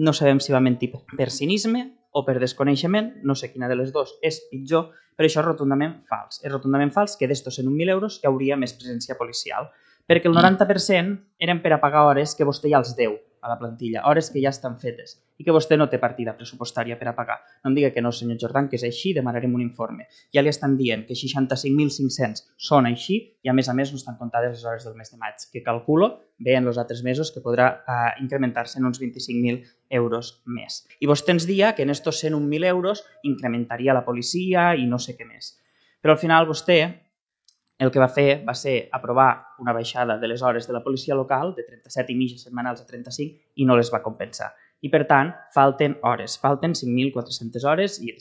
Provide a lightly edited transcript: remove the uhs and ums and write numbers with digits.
No sabem si va mentir per cinisme o per desconeixement, no sé quina de les dues és pitjor, però això és rotundament fals. És rotundament fals que d'estos 101.000 euros hi hauria més presència policial, perquè el 90% eren per a pagar hores que vostè ja els deu a la plantilla, hores que ja estan fetes i que vostè no té partida pressupostària per a pagar. No em diga que no, senyor Jordan, que és així, demanarem un informe. Ja li estan dient que 65.500 són així i a més no estan comptades les hores del mes de maig, que calculo bé en els altres mesos que podrà incrementar-se en uns 25.000 euros més. I vostè ens dia que en estos 101.000 euros incrementaria la policia i no sé què més. Però al final vostè el que va fer va ser aprovar una baixada de les hores de la policia local de 37 i mitja setmanals a 35 i no les va compensar. I per tant, falten hores, falten 5.400 hores i